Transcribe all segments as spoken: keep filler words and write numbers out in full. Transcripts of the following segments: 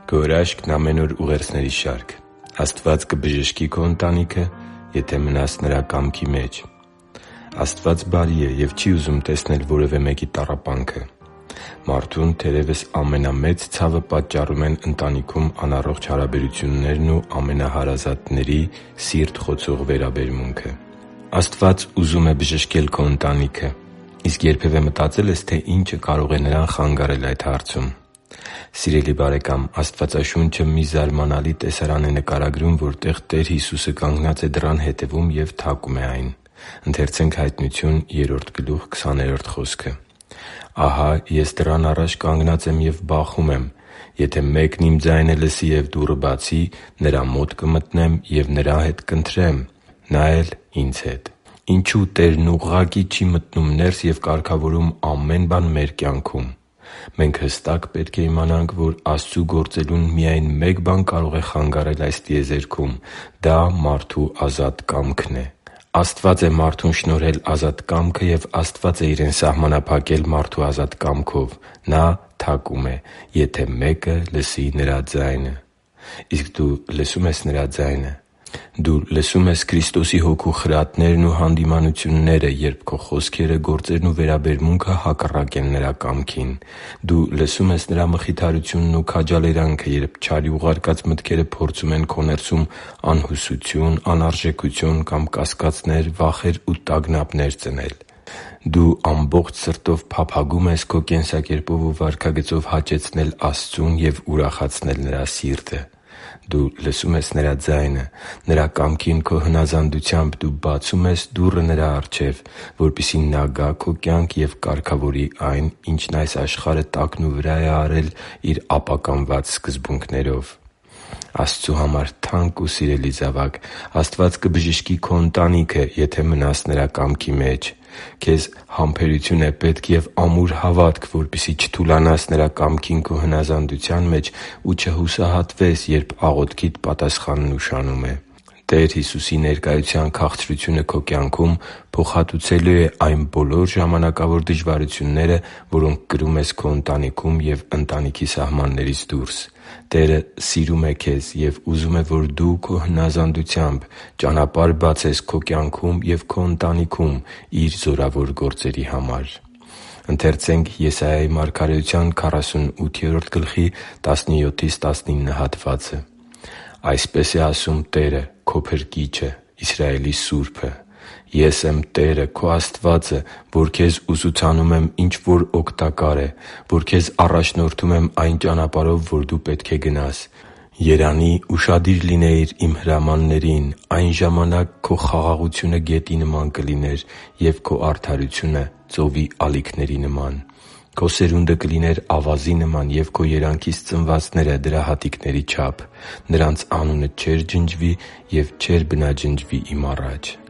Քո հրաշքն ամեն օր ուղերձների շարք։ Աստված կբժշկի քո ընտանիքը, եթե մնաս Նրա կամքի մեջ։ Աստված բարի է և չի ուզում տեսնել որևէ մեկի տառապանքը։ Մարդուն թերևս ամենամեծ ցավը պատճառում են ընտանիքում անառողջ հարաբերություններն ու ամենահարազատների սիրտ խոցող վերաբերմունքը։ Աստված ուզում է բժշկել քո ընտանիքը, իսկ երբևէ մտածե՞լ ես, թե ինչը կարող է նրան խանգարել այդ հարցում։ Սիրելի՛ բարեկամ, Աստվածաշունչը մի զարմանալի տեսարան է նկարագրում, որտեղ Տեր Հիսուսը կանգնած է դռան հետևում և թակում է այն։ «Ահա ես դռան առաջ կանգնած եմ և բախում եմ. եթե մեկն իմ ձայնը լսի և դուռը բացի, նրա մոտ կմտնեմ և նրա հետ կընթրեմ, նա էլ՝ ինձ հետ» (Հայտնություն երրորդ) Ինչու՞ Տերն ուղղակի չի մտնում ներս և կարգավորում ամեն բան մեր կյանքում։ Մենք հստակ պետք է իմանանք, որ Աստծու գործելուն միայն մեկ բան կարող է խանգարել այս տիեզերքում։ Դա մարդու ազատ կամքն է։ Աստված է մարդուն շնորհել ազատ կամքը, և Աստված է Իրեն սահմանափակել մարդու ազատ կամքով։ Նա թակում է, եթե մեկը լսի Նրա ձայնը։ Իսկ դու լսո՞ւմ ես Նրա ձայնը։ Դու լսո՞ւմ ես Քրիստոսի Հոգու խրատներն ու հանդիմանությունները, երբ քո խոսքերը, գործերն ու վերաբերմունքը հակառակ են Նրա կամքին։ Դու լսո՞ւմ ես Նրա մխիթարությունն ու քաջալերանքը, երբ չարի ուղարկած մտքերը փորձում են քո ներսում անհուսություն, անարժեքություն կամ կասկածներ, վախեր ու տագնապներ ծնել։ Դու ամբողջ սրտով փափագո՞ւմ ես քո կենսակերպով ու վարքագծով հաճեցնել Աստծուն և ուրախացնել Նրա սիրտը։ Դու լսո՞ւմ ես Նրա ձայնը։ Նրա կամքին քո հնազանդությամբ դու բացո՞ւմ ես դուռը Նրա առջև, որպեսզի Նա գա քո կյանք և կարգավորի այն, ինչն այս աշխարհը տակնուվրա է արել իր ապականված սկզբունքներով։ Աստծու համար թանկ ու սիրելի՛ զավակ, Աստված կբժշկի քո ընտանիքը, եթե մնաս Նրա կամքի մեջ։ Քեզ համբերություն է պետք և ամուր հավատք, որպեսզի չթուլանաս Նրա կամքին քո հնազանդության մեջ ու չհուսահատվես, երբ աղոթքիդ պատասխանն ուշանում է։ Տեր Հիսուսի ներկայության քաղցրությունը քո կյանքում փոխհատուցելու է այն բոլոր ժամանակավոր դժվարությունները, որոնք կրում ես քո ընտանիքում և ընտանիքի սահմաններից դուրս։ Տերը սիրում է քեզ և ուզում է, որ դու քո հնազանդությամբ ճանապարհ բացես քո կյանքում և քո ընտանիքում Իր զորավոր գործերի համար։ «Այսպես է ասում Տերը՝ քո Փրկիչը, Իսրայելի Սուրբը. «Ես եմ Տերը՝ քո Աստվածը, որ քեզ ուսուցանում եմ ինչ որ օգտակար է, որ քեզ առաջնորդում եմ այն ճանապարհով, որ դու պետք է գնաս։ Երանի՛, ուշադիր լինեիր իմ հրամաններին, այն ժամանակ քո խաղաղությունը գետի նման կլիներ, և քո արդարությունը՝ ծովի ալիքների նման։ Քո սերունդը կլիներ ավազի նման, և քո երանքից ծնվածները՝ դրա հատիկների չափ։ Նրանց անունը չէր ջնջվի և չէր բնաջնջվի Իմ առաջ» (Եսայիա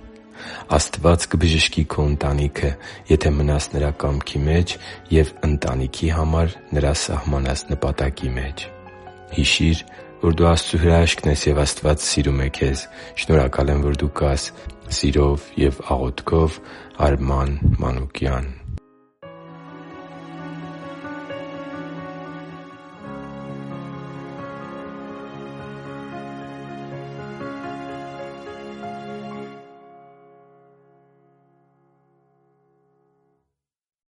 Աստված կբժշկի քո ընտանիքը, եթե մնաս Նրա կամքի մեջ և ընտանիքի համար Նրա սահմանած նպատակի մեջ։ Հիշի՛ր, որ դու Աստծո հրաշքն ես, և Աստված սիրում է քեզ։ Շնորհակալ եմ, որ դու կա՛ս։ Սիրով և աղոթքով, Արման Մանուկյան։